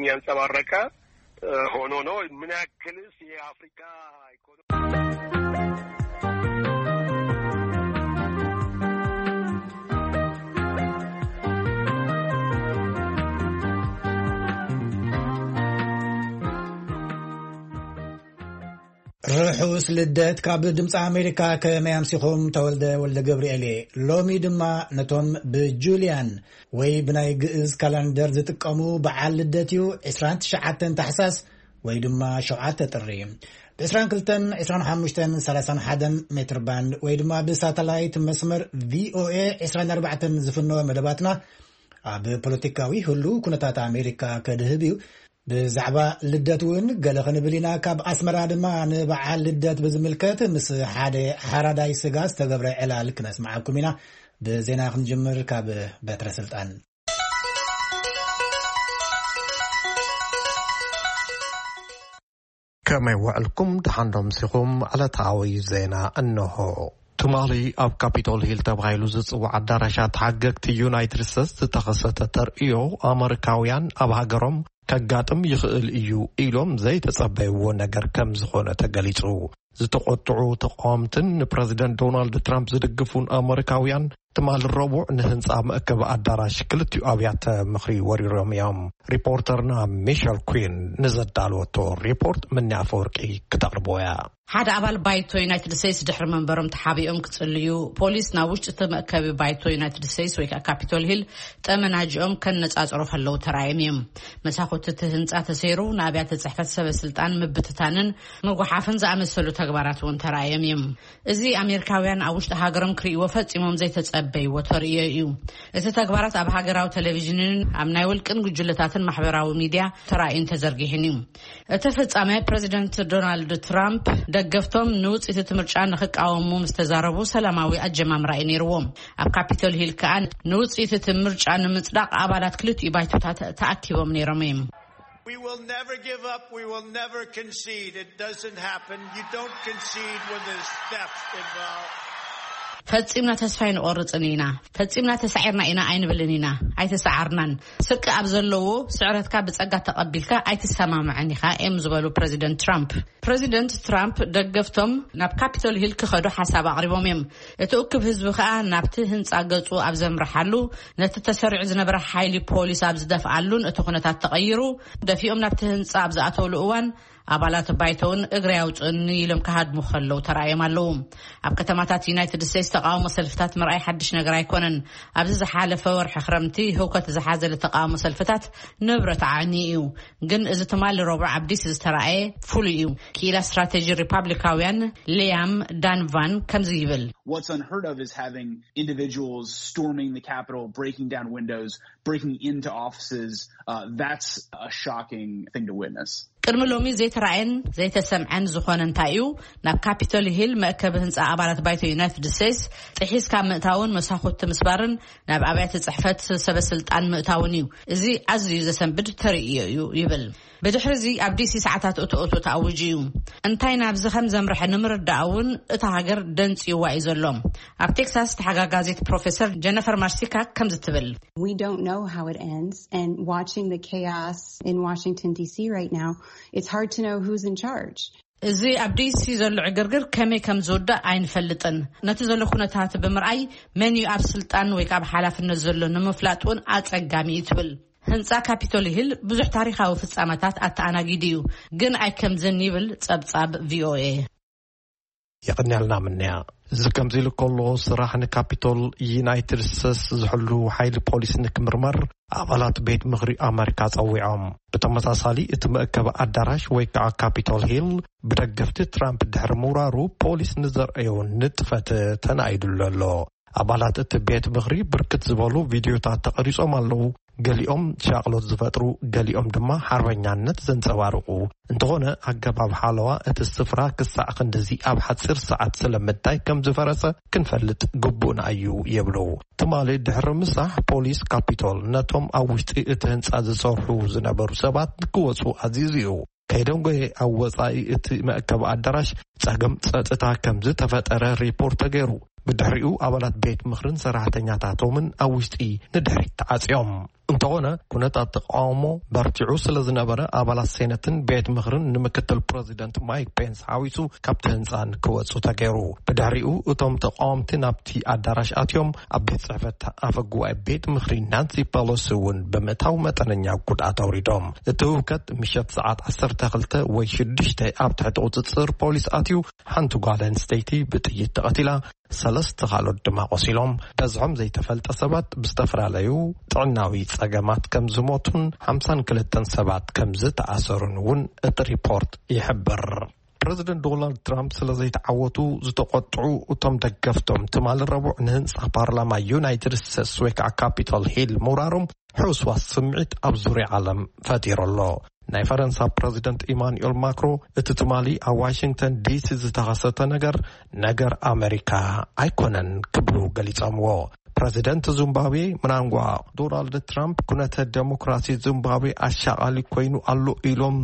ያንጸባረቀ ሆኖ ነው። ምን ያክልስ የአፍሪካ ኢኮኖሚ ርሑስ ልደት ካብ ድምፂ ኣሜሪካ። ከመይ ኣምሲኹም? ተወልደ ወልደ ገብርኤል እየ። ሎሚ ድማ ነቶም ብጁልያን ወይ ብናይ ግእዝ ካላንደር ዝጥቀሙ በዓል ልደት እዩ። ዕስራን ትሽዓተን ታሕሳስ ወይ ድማ ሸውዓተ ጥሪ፣ ብ22፣ 25፣ 31 ሜትር ባንድ ወይ ድማ ብሳተላይት መስመር ቪኦኤ 24 ዝፍነወ መደባትና ኣብ ፖለቲካዊ ህሉ ኩነታት ኣሜሪካ ከድህብ እዩ። ብዛዕባ ልደት እውን ገለ ክንብል ኢና። ካብ ኣስመራ ድማ ንበዓል ልደት ብዝምልከት ምስ ሓደ ሓራዳይ ስጋ ዝተገብረ ዕላል ክነስምዓኩም ኢና። ብዜና ክንጅምር ካብ በትረ ስልጣን። ከመይ ውዕልኩም? ደሓን ዶ ኣምሲኹም? ዕለታዊ ዜና እንሆ። ትማሊ ኣብ ካፒቶል ሂል ተባሂሉ ዝጽዋዕ ኣዳራሻት ሓገግቲ ዩናይትድ ስቴትስ ዝተኸሰተ ተርእዮ፣ ኣመሪካውያን ኣብ ሃገሮም ከጋጥም ይኽእል እዩ ኢሎም ዘይተጸበይዎ ነገር ከም ዝኾነ ተገሊጹ። ዝተቖጥዑ ተቃወምትን ንፕረዚደንት ዶናልድ ትራምፕ ዝድግፉን ኣመሪካውያን ትማሊ ረቡዕ ንህንጻ መእከቢ ኣዳራሽ ክልቲኡ ኣብያተ ምኽሪ ወሪሮም እዮም። ሪፖርተርና ሚሸል ኩን ንዘዳለወቶ ሪፖርት ምኒ ኣፈወርቂ ክተቕርቦ እያ። ሓደ ኣባል ባይቶ ዩናይትድ ስቴትስ ድሕሪ መንበሮም ተሓቢኦም ክጽልዩ፣ ፖሊስ ናብ ውሽጢ እቲ መእከቢ ባይቶ ዩናይትድ ስቴትስ ወይ ከዓ ካፒቶል ሂል ጠመናጅኦም ከነጻጽሩ ከለዉ ተራእዮም እዮም። መሳኹቲ እቲ ህንጻ ተሰይሩ፣ ንኣብያተ ጽሕፈት ሰበ ስልጣን ምብትታንን ምጉሓፍን ዝኣመሰሉ ተግባራት እውን ተራእዮም እዮም። እዚ ኣሜሪካውያን ኣብ ውሽጢ ሃገሮም ክርእይዎ ፈጺሞም ዘይተጸበይዎ ተርእዮ እዩ። እቲ ተግባራት ኣብ ሃገራዊ ቴሌቪዥንን ኣብ ናይ ውልቅን ጉጅለታትን ማሕበራዊ ሚድያ ተራእዩን ተዘርጊሕን እዩ። እቲ ፍጻመ ፕረዚደንት ዶናልድ ትራምፕ ደገፍቶም ንውጽኢት እቲ ምርጫ ንኽቃወሙ ምስ ተዛረቡ ሰላማዊ ኣጀማምራ እዩ ነይርዎም። ኣብ ካፒቶል ሂል ከኣ ንውጽኢት እቲ ምርጫ ንምጽዳቕ ኣባላት ክልቲኡ ባይቶታት ተኣኪቦም ነይሮም እዮም። We will never give up. We will never concede. It doesn't happen. You don't concede when there's death involved. ፈጺምና ተስፋ ኣይንቆርጽን ኢና። ፈጺምና ተሳዒርና ኢና ኣይንብልን ኢና። ኣይተሰዓርናን። ስቂ ኣብ ዘለዎ ስዕረትካ ብጸጋ ተቐቢልካ ኣይትሰማምዕን ኢኻ እዮም ዝበሉ ፕረዚደንት ትራምፕ። ፕረዚደንት ትራምፕ ደገፍቶም ናብ ካፒቶል ሂል ክኸዱ ሓሳብ ኣቕሪቦም እዮም። እቲ እኩብ ህዝቢ ከኣ ናብቲ ህንጻ ገጹ ኣብ ዘምርሓሉ፣ ነቲ ተሰሪዑ ዝነበረ ሓይሊ ፖሊስ ኣብ ዝደፍኣሉን እቲ ኩነታት ተቐይሩ፣ ደፊኦም ናብቲ ህንጻ ኣብ ዝኣተውሉ እዋን፣ ኣባላት ባይቶውን እግሪ ኣውጽእኒ ኢሎም ክሃድሙ ከለዉ ተራእዮም ኣለዉ። ኣብ ከተማታት ዩናይትድ ስቴትስ ተቃውሞ ሰልፍታት ምርኣይ ሓድሽ ነገር ኣይኮነን። ኣብዚ ዝሓለፈ ወርሒ ክረምቲ ህውከት ዝሓዘለ ተቃውሞ ሰልፍታት ንብረት ዓዕኒ እዩ። ግን እዚ ትማሊ ረቡዕ ኣብ ዲሲ ዝተራእየ ፍሉይ እዩ። ክኢላ ስትራቴጂ ሪፓብሊካውያን ሊያም ዳንቫን ከምዚ ይብል። What's unheard of is having individuals storming the Capitol, breaking down windows, breaking into offices. Uh, that's a shocking thing to witness. ቅድሚ ሎሚ ዘይተራእየን ዘይተሰምዐን ዝኾነ እንታይ እዩ? ናብ ካፒቶል ሂል መእከቢ ህንጻ ኣባላት ባይቶ ዩናይትድ ስቴትስ ጥሒስካ ምእታውን መሳኹቲ ምስባርን ናብ ኣብያተ ጽሕፈት ሰበ ስልጣን ምእታውን እዩ። እዚ ኣዝዩ ዘሰንብድ ተርእዮ እዩ ይብል። ብድሕሪ እዚ ኣብ ዲሲ ሰዓታት እቶ እቶ ተኣዊጁ እዩ። እንታይ ናብዚ ከም ዘምርሐ ንምርዳእ እውን እታ ሃገር ደንጽዩዋ እዩ ዘሎ። ኣብ ቴክሳስ ተሓጋጋዚት ፕሮፌሰር ጀነፈር ማርሲካ ከምዚ ትብል። We don't know how it ends, and watching the chaos in Washington, D C right now, it's hard to know who's in charge. እዚ ኣብ ዲሲ ዘሎ ዕግርግር ከመይ ከም ዝውዳእ ኣይንፈልጥን። ነቲ ዘሎ ኩነታት ብምርኣይ መን እዩ ኣብ ስልጣን ወይ ከዓ ኣብ ሓላፍነት ዘሎ ንምፍላጥ እውን ኣጸጋሚ እዩ ትብል። ህንጻ ካፒቶል ሂል ብዙሕ ታሪኻዊ ፍጻመታት ኣተኣናጊዱ እዩ፣ ግን ኣይከምዝን ይብል ጸብጻብ ቪኦኤ። የቐንያልና ምንያ። እዚ ከምዚ ኢሉ ከሎ፣ ስራሕ ንካፒቶል ዩናይትድ ስቴትስ ዝሕሉ ሓይሊ ፖሊስ ንክምርመር ኣባላት ቤት ምኽሪ ኣመሪካ ጸዊዖም። ብተመሳሳሊ፣ እቲ መእከቢ ኣዳራሽ ወይ ከዓ ካፒቶል ሂል ብደገፍቲ ትራምፕ ድሕሪ ምውራሩ ፖሊስ ንዘርእዮ ንጥፈት ተናኢዱሉ ኣሎ። ኣባላት እቲ ቤት ምኽሪ ብርክት ዝበሉ ቪድዮታት ተቐሪጾም ኣለዉ። ገሊኦም ሻቕሎት ዝፈጥሩ፣ ገሊኦም ድማ ሓርበኛነት ዘንጸባርቑ። እንተኾነ፣ ኣገባብ ሓለዋ እቲ ስፍራ ክሳዕ ክንድዚ ኣብ ሓጺር ሰዓት ስለምንታይ ከም ዝፈረሰ ክንፈልጥ ግቡእና እዩ ይብሉ። ትማሊ ድሕሪ ምሳሕ፣ ፖሊስ ካፒቶል ነቶም ኣብ ውሽጢ እቲ ህንጻ ዝሰርሑ ዝነበሩ ሰባት ክወጹ ኣዚዙ እዩ። ከይደንጎየ ኣብ ወጻኢ እቲ መእከቢ ኣዳራሽ ጸገም ጸጥታ ከም ዝተፈጠረ ሪፖርት ተገይሩ። ብድሕሪኡ ኣባላት ቤት ምኽርን ሰራሕተኛታቶምን ኣብ ውሽጢ ንድሕሪት ተዓጽዮም። እንተኾነ፣ ኩነታት ተቃውሞ በርቲዑ ስለ ዝነበረ፣ ኣባላት ሴነትን ቤት ምኽርን ንምክትል ፕረዚደንት ማይክ ፔንስ ሓዊሱ ካብቲ ህንጻ ንክወጹ ተገይሩ። ብድሕሪኡ፣ እቶም ተቃወምቲ ናብቲ ኣዳራሽ ኣትዮም፣ ኣብ ቤት ጽሕፈት ኣፈ ጉባኤ ቤት ምኽሪ ናንሲ ፐሎሲ እውን ብምእታው መጠነኛ ጉድኣት ኣውሪዶም። እቲ ህውከት ምሸት ሰዓት ዓሰርተ ክልተ ወይ ሽዱሽተ ኣብ ትሕቲ ቁጽጽር ፖሊስ ኣትዩ፣ ሓንቲ ጓል ኣንስተይቲ ብጥይት ተቐቲላ፣ ሰለስተ ካልኦት ድማ ቆሲሎም። በዝሖም ዘይተፈልጠ ሰባት ብዝተፈላለዩ ጥዕናዊ ጸገማት ከም ዝሞቱን ሓምሳን ክልተን ሰባት ከም ዝተኣሰሩን እውን እቲ ሪፖርት ይሕብር። ፕረዚደንት ዶናልድ ትራምፕ ስለ ዘይተዓወቱ ዝተቆጥዑ እቶም ደገፍቶም፣ ትማሊ ረቡዕ ንህንጻ ፓርላማ ዩናይትድ ስቴትስ ወይ ከዓ ካፒቶል ሂል ምውራሮም ሕውስዋስ ስምዒት ኣብ ዙርያ ዓለም ፈጢሩ ኣሎ። ናይ ፈረንሳ ፕረዚደንት ኢማኑኤል ማክሮ፣ እቲ ትማሊ ኣብ ዋሽንግተን ዲሲ ዝተኸሰተ ነገር፣ ነገር ኣመሪካ ኣይኮነን ክብሉ ገሊጾምዎ። ፕረዚደንት ዚምባብዌ ምናንጓ ዶናልድ ትራምፕ፣ ኩነተ ዴሞክራሲ ዚምባብዌ ኣሻቓሊ ኮይኑ ኣሎ ኢሎም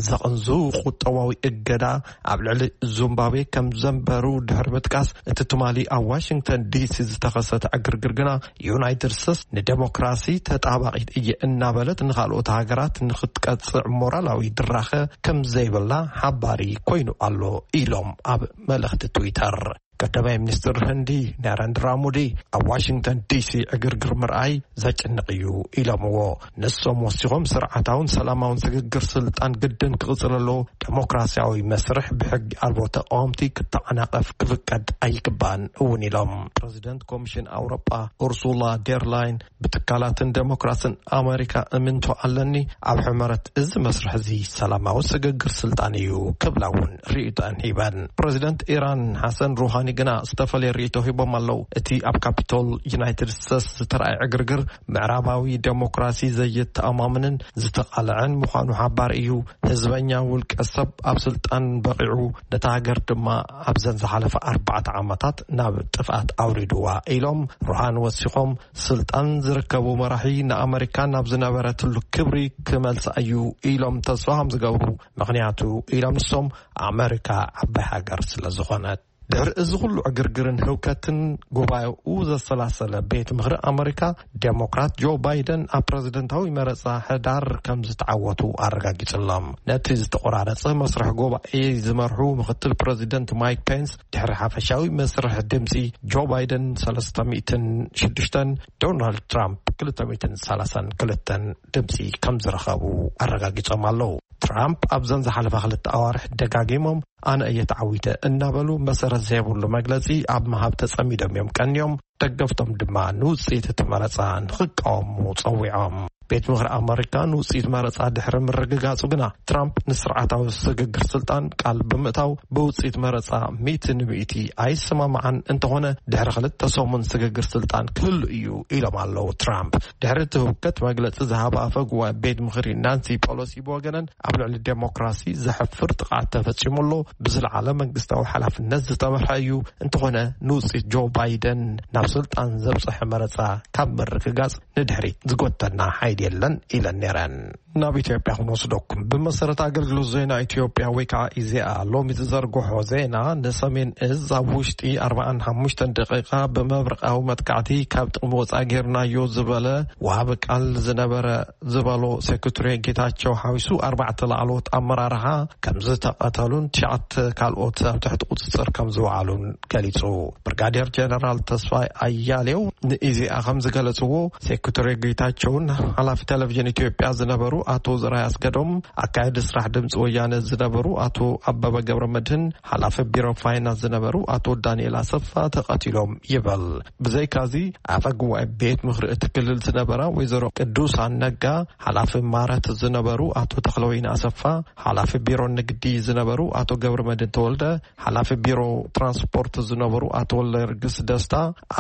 ዘቐንዙ ቁጠባዊ እገዳ ኣብ ልዕሊ ዚምባብዌ ከም ዘንበሩ ድሕሪ ምጥቃስ፣ እቲ ትማሊ ኣብ ዋሽንግተን ዲሲ ዝተኸሰተ ዕግርግር ግና፣ ዩናይትድ ስቴትስ ንዴሞክራሲ ተጣባቒት እየ እናበለት ንኻልኦት ሃገራት ንኽትቀጽዕ ሞራላዊ ድራኸ ከም ዘይብላ ሓባሪ ኮይኑ ኣሎ ኢሎም ኣብ መልእኽቲ ትዊተር። ቀዳማይ ሚኒስትር ህንዲ ናረንድራ ሞዲ፣ ኣብ ዋሽንግተን ዲሲ ዕግርግር ምርኣይ ዘጨንቕ እዩ ኢሎምዎ። ንሶም ወሲኾም፣ ስርዓታውን ሰላማውን ስግግር ስልጣን ግድን ክቕጽል ኣለዎ፣ ዴሞክራሲያዊ መስርሕ ብሕጊ ኣልቦ ተቃወምቲ ክተዓናቐፍ ክፍቀድ ኣይግባእን እውን ኢሎም። ፕረዚደንት ኮሚሽን ኣውሮጳ ኡርሱላ ዴርላይን፣ ብትካላትን ዴሞክራስን ኣመሪካ እምንቶ ኣለኒ፣ ኣብ ሕመረት እዚ መስርሕ እዚ ሰላማዊ ስግግር ስልጣን እዩ ክብላ እውን ርእይቶኣን ሂበን። ፕረዚደንት ኢራን ሓሰን ሩሃኒ ግና ዝተፈለየ ርእይቶ ሂቦም ኣለዉ። እቲ ኣብ ካፒቶል ዩናይትድ ስቴትስ ዝተረኣየ ዕግርግር ምዕራባዊ ዴሞክራሲ ዘየተኣማምንን ዝተቓልዐን ምዃኑ ሓባር እዩ። ህዝበኛ ውልቀ ሰብ ኣብ ስልጣን በቒዑ፣ ነታ ሃገር ድማ ኣብዘን ዝሓለፈ ኣርባዕተ ዓመታት ናብ ጥፍኣት ኣውሪድዋ ኢሎም። ሩሃን ወሲኾም፣ ስልጣን ዝርከቡ መራሒ ንኣመሪካ ናብ ዝነበረትሉ ክብሪ ክመልሳ እዩ ኢሎም ተስፋ ከም ዝገብሩ፣ ምኽንያቱ ኢሎም ንሶም፣ ኣመሪካ ዓባይ ሃገር ስለ ዝኾነት። ድሕሪ እዚ ኩሉ ዕግርግርን ህውከትን፣ ጉባኤኡ ዘሰላሰለ ቤት ምኽሪ ኣመሪካ፣ ዴሞክራት ጆ ባይደን ኣብ ፕረዚደንታዊ መረጻ ሕዳር ከም ዝተዓወቱ ኣረጋጊጹሎም። ነቲ ዝተቆራረጸ መስርሕ ጉባኤ ዝመርሑ ምኽትል ፕረዚደንት ማይክ ፔንስ፣ ድሕሪ ሓፈሻዊ መስርሕ ድምጺ፣ ጆ ባይደን ሰለስተ ሚእትን ሽዱሽተን፣ ዶናልድ ትራምፕ ክልተ ሚእትን ሰላሳን ክልተን ድምጺ ከም ዝረኸቡ ኣረጋጊጾም ኣለዉ። ትራምፕ ኣብዘን ዝሓለፋ ክልተ ኣዋርሕ ደጋጊሞም፣ ኣነ እየ ተዓዊተ እናበሉ፣ መሰረት ዘይብሉ መግለጺ ኣብ ምሃብ ተጸሚዶም እዮም ቀንዮም። ደገፍቶም ድማ ንውጽኢት እቲ መረጻ ንኽቃወሙ ጸዊዖም። ቤት ምኽሪ ኣመሪካ ንውጽኢት መረጻ ድሕሪ ምርግጋጹ ግና፣ ትራምፕ ንስርዓታዊ ስግግር ስልጣን ቃል ብምእታው፣ ብውጽኢት መረጻ ሚእቲ ንሚእቲ ኣይሰማማዓን፣ እንተኾነ ድሕሪ ክልተ ሰሙን ስግግር ስልጣን ክህሉ እዩ ኢሎም ኣለዉ ትራምፕ። ድሕሪ እቲ ህውከት መግለጺ ዝሃባ ኣፈ ጉባኤ ቤት ምኽሪ ናንሲ ፖሎሲ ብወገነን፣ ኣብ ልዕሊ ዴሞክራሲ ዘሕፍር ጥቕዓት ተፈጺሙ ኣሎ፣ ብዝለዓለ መንግስታዊ ሓላፍነት ዝተመርሐ እዩ፣ እንተኾነ ንውጽኢት ጆ ባይደን ናብ ስልጣን ዘብጽሐ መረጻ ካብ ምርግጋጽ ንድሕሪት ዝጎተና ሓይሊ የለን ኢለን ነይረን። ናብ ኢትዮጵያ ክንወስደኩም። ብመሰረት ኣገልግሎት ዜና ኢትዮጵያ ወይ ከዓ ኢዜኣ ሎሚ ዝዘርግሖ ዜና፣ ንሰሜን እዝ ኣብ ውሽጢ ኣርባዓን ሓሙሽተን ደቂቃ ብመብረቃዊ መጥቃዕቲ ካብ ጥቕሚ ወፃኢ ጌርናዮ ዝበለ ወሃቢ ቃል ዝነበረ ዝበሎ ሴክሬታሪ ጌታቸው ሓዊሱ ኣርባዕተ ላዕለዎት ኣመራርሓ ከም ዝተቐተሉን ትሽዓተ ካልኦት ኣብ ትሕቲ ቁፅፅር ከም ዝወዓሉን ገሊፁ። ብርጋዴር ጀነራል ተስፋይ ኣያሌው ንኢዜኣ ከም ዝገለፅዎ፣ ሴክሬታሪ ጌታቸውን ሓላፊ ቴሌቪዥን ኢትዮጵያ ዝነበሩ ኣቶ ዘርኣይ ኣስገዶም፣ ኣካያዲ ስራሕ ድምፂ ወያነ ዝነበሩ ኣቶ ኣበበ ገብረ መድህን፣ ሓላፊ ቢሮ ፋይናንስ ዝነበሩ ኣቶ ዳንኤል ኣሰፋ ተቐቲሎም ይበል። ብዘይካዚ፣ ኣፈ ጉባኤ ቤት ምኽሪ እቲ ክልል ዝነበራ ወይዘሮ ቅዱሳን ነጋ፣ ሓላፊ ማረት ዝነበሩ ኣቶ ተኽለወይኒ ኣሰፋ፣ ሓላፊ ቢሮ ንግዲ ዝነበሩ ኣቶ ገብረ መድህን ተወልደ፣ ሓላፊ ቢሮ ትራንስፖርት ዝነበሩ ኣቶ ወልደየርግስ ደስታ፣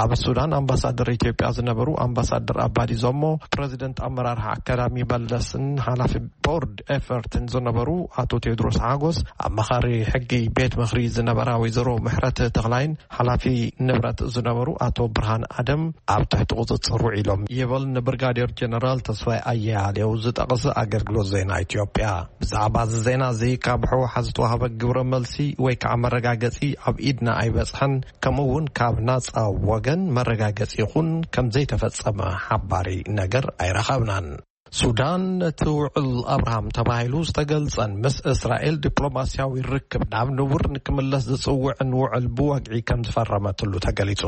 ኣብ ሱዳን ኣምባሳደር ኢትዮጵያ ዝነበሩ ኣምባሳደር ኣባዲ ዞሞ፣ ፕረዚደንት ኣመራርሓ ኣካዳሚ መለስን ሓላፊ ቦርድ ኤፈርትን ዝነበሩ ኣቶ ቴዎድሮስ ሓጎስ፣ ኣማኻሪ ሕጊ ቤት ምኽሪ ዝነበራ ወይዘሮ ምሕረት ተኽላይን ሓላፊ ንብረት ዝነበሩ ኣቶ ብርሃን ኣደም ኣብ ትሕቲ ቁፅፅር ውዒሎም ይብል ንብርጋዴር ጀነራል ተስፋይ ኣያሌው ዝጠቕስ ኣገልግሎት ዜና ኢትዮጵያ። ብዛዕባ እዚ ዜና እዚ ካብ ሕወሓት ዝተዋህበ ግብረ መልሲ ወይ ከዓ መረጋገፂ ኣብ ኢድና ኣይበፅሐን። ከምኡ እውን ካብ ናፃ ወገን መረጋገፂ ይኹን ከም ዘይተፈፀመ ሓባሪ ነገር ኣይረኸብን። ሱዳን። ሱዳን ነቲ ውዕል ኣብርሃም ተባሂሉ ዝተገልጸን ምስ እስራኤል ዲፕሎማስያዊ ርክብ ናብ ንቡር ንክምለስ ዝጽውዕን ውዕል ብወግዒ ከም ዝፈረመትሉ ተገሊጹ።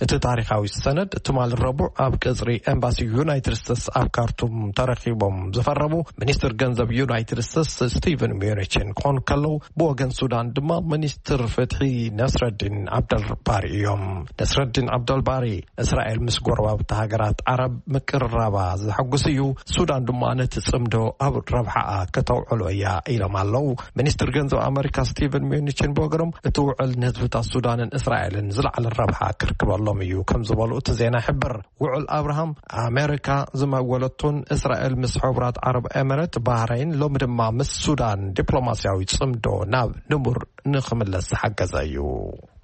እቲ ታሪኻዊ ሰነድ ትማሊ ረቡዕ ኣብ ቀጽሪ ኤምባሲ ዩናይትድ ስቴትስ ኣብ ካርቱም ተረኺቦም ዝፈረሙ ሚኒስትር ገንዘብ ዩናይትድ ስቴትስ ስቲቨን ሚዩኒችን ክኾኑ ከለዉ፣ ብወገን ሱዳን ድማ ሚኒስትር ፍትሒ ነስረዲን ዓብደልባሪ እዮም። ነስረዲን ዓብደልባሪ፣ እስራኤል ምስ ጎረባብቲ ሃገራት ዓረብ ምቅርራባ ዘሐጉስ እዩ፣ ሱዳን ድማ ነቲ ጽምዶ ኣብ ረብሓኣ ከተውዕሎ እያ ኢሎም ኣለዉ። ሚኒስትር ገንዘብ ኣመሪካ ስቲቨን ሚዩኒችን ብወገኖም፣ እቲ ውዕል ንህዝብታት ሱዳንን እስራኤልን ዝለዓለ ረብሓ ክርክበሎም እዩ ከም ዝበሉ እቲ ዜና ይሕብር። ውዕል ኣብርሃም ኣመሪካ ዝመወለቱን እስራኤል ምስ ሕቡራት ዓረብ ኤምሬት፣ ባህረይን፣ ሎሚ ድማ ምስ ሱዳን ዲፕሎማስያዊ ጽምዶ ናብ ንቡር ንኽምለስ ዝሓገዘ እዩ።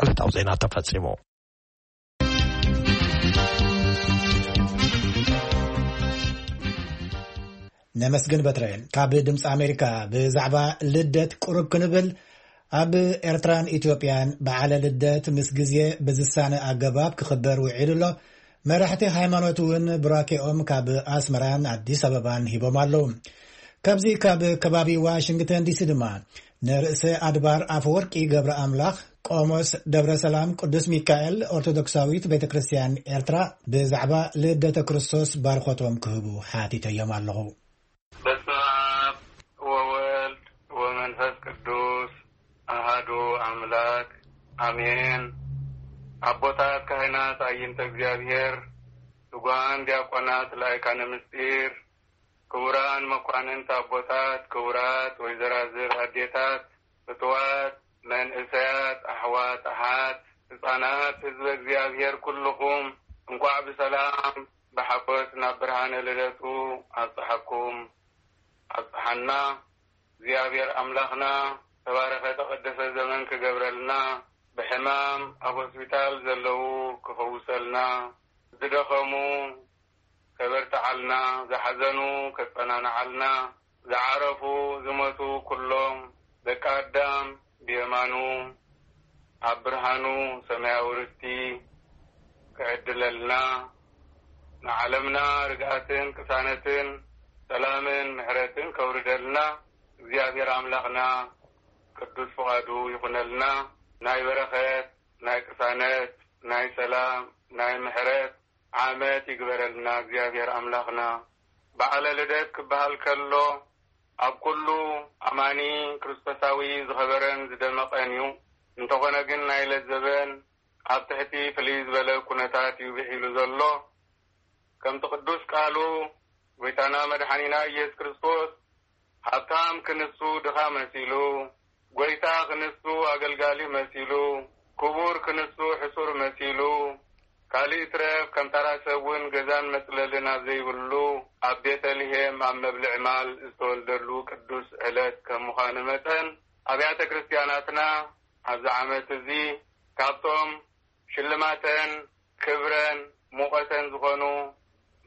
ዕለታዊ ዜና ተፈጺሙ። ነመስግን በትረ። ካብ ድምፂ ኣሜሪካ ብዛዕባ ልደት ቁሩብ ክንብል፣ ኣብ ኤርትራን ኢትዮጵያን በዓለ ልደት ምስ ግዜ ብዝሳነ ኣገባብ ክኽበር ውዒሉ ኣሎ። መራሕቲ ሃይማኖት እውን ቡራኬኦም ካብ ኣስመራን ኣዲስ ኣበባን ሂቦም ኣለዉ። ካብዚ ካብ ከባቢ ዋሽንግተን ዲሲ ድማ ንርእሰ ኣድባር ኣፈወርቂ ገብረ ኣምላኽ ቆሞስ ደብረ ሰላም ቅዱስ ሚካኤል ኦርቶዶክሳዊት ቤተ ክርስቲያን ኤርትራ ብዛዕባ ልደተ ክርስቶስ ባርኾቶም ክህቡ ሓቲተዮም ኣለኹ። በስመ ኣብ ወወልድ ወመንፈስ ቅዱስ ኣሃዱ ኣምላክ ኣሜን። ኣቦታት ካህናት፣ ኣዕይንተ እግዚኣብሔር፣ ትጉሃን ዲያቆናት፣ ላይካነ ምስጢር፣ ክቡራን መኳንንት ኣቦታት፣ ክቡራት ወይዘራዝር ኣዴታት፣ ፍትዋት መንእሰያት፣ ኣሕዋት ኣሓት፣ ህፃናት፣ ህዝበ እግዚኣብሔር ኩልኹም እንኳዕ ብሰላም ብሓጎስ ናብ ብርሃነ ልደቱ ኣብፀሐኩም ኣብፀሓና። እግዚኣብሔር ኣምላኽና ተባረኸ ተቐደሰ ዘመን ክገብረልና፣ ብሕማም ኣብ ሆስፒታል ዘለዉ ክፈውሰልና፣ ዝደኸሙ ከበርትዓልና፣ ዝሓዘኑ ከጸናንዓልና፣ ዝዓረፉ ዝሞቱ ኩሎም ደቂ ኣዳም ብየማኑ ኣብ ብርሃኑ ሰማያዊ ርስቲ ክዕድለልና፣ ንዓለምና ርግኣትን ቅሳነትን ሰላምን ምሕረትን ከውርደልና እግዚኣብሔር ኣምላኽና ቅዱስ ፍቓዱ ይኹነልና። ናይ በረኸት፣ ናይ ቅሳነት፣ ናይ ሰላም፣ ናይ ምሕረት ዓመት ይግበረልና እግዚኣብሔር ኣምላኽና። በዓለ ልደት ክበሃል ከሎ ኣብ ኩሉ ኣማኒ ክርስቶሳዊ ዝኸበረን ዝደመቐን እዩ። እንተኾነ ግን ናይ ለዘበን ኣብ ትሕቲ ፍልይ ዝበለ ኩነታት እዩ ብዒሉ ዘሎ። ከምቲ ቅዱስ ቃሉ ጎይታና መድሓኒና ኢየሱስ ክርስቶስ ሃብታም ክንሱ ድኻ መሲሉ፣ ጎይታ ክንሱ ኣገልጋሊ መሲሉ፣ ክቡር ክንሱ ሕሱር መሲሉ፣ ካልእ ይትረፍ ከም ተራ ሰብ እውን ገዛን መጽለልን ኣብ ዘይብሉ ኣብ ቤተልሔም ኣብ መብልዕ ማል ዝተወልደሉ ቅዱስ ዕለት ከም ምዃኑ መጠን ኣብያተ ክርስቲያናትና ኣብዚ ዓመት እዚ ካብቶም ሽልማተን ክብረን ሙቐተን ዝኾኑ